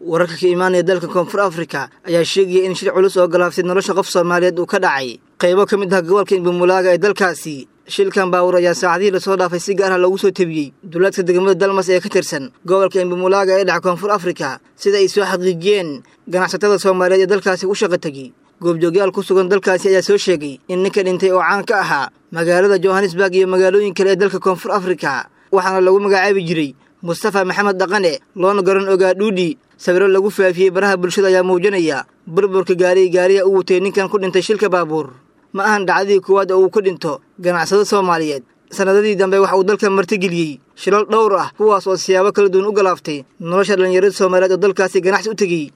Wararka ka imaanaya dalka Koonfur Afrika ayaa sheegaya in shil culus oo galaaftay nolosha qof Soomaaliyeed uu ka dhacay qaybo ka mid ah gobolka Imbumulaaga ee dalkaasi. Shilkan baabuur ayaa saacadihii lasoo dhaafay si gaar ah loogu soo tebiyey duleedka degmada Dalmas ee ka tirsan gobolka Imbumulaaga ee dhaca Koonfur Afrika, sida ay soo xaqiijiyeen ganacsatada Soomaaliyeed ee dalkaasi u shaqa tegey. Goobjoogyaal ku sugan dalkaasi ayaa soo sheegay in ninka dhintay oo caan ka ahaa magaalada Johannesburg iyo magaalooyin kale ee dalka Koonfur Afrika, waxaana lagu magacaabi jiray Mustafa Maxamed Dhaqane, loona garan ogaa Dhuudhi. Sawiro lagu faafiyey baraha bulshada ayaa muujinaya burburka gaariga u watay ninkan ku dhintay shilka baabuur. Ma ahan dhacdadii koowaad oo uu ka dhinto ganacsado Soomaaliyeed. Sanadadii dambe waxa uu dalka martigeliyey shilal dhowr ah, kuwaas oo siyaabo kala duwan u galaaftay nolosha dhallinyarada Soomaaliyeed oo dalkaasi ganacsi u tegey.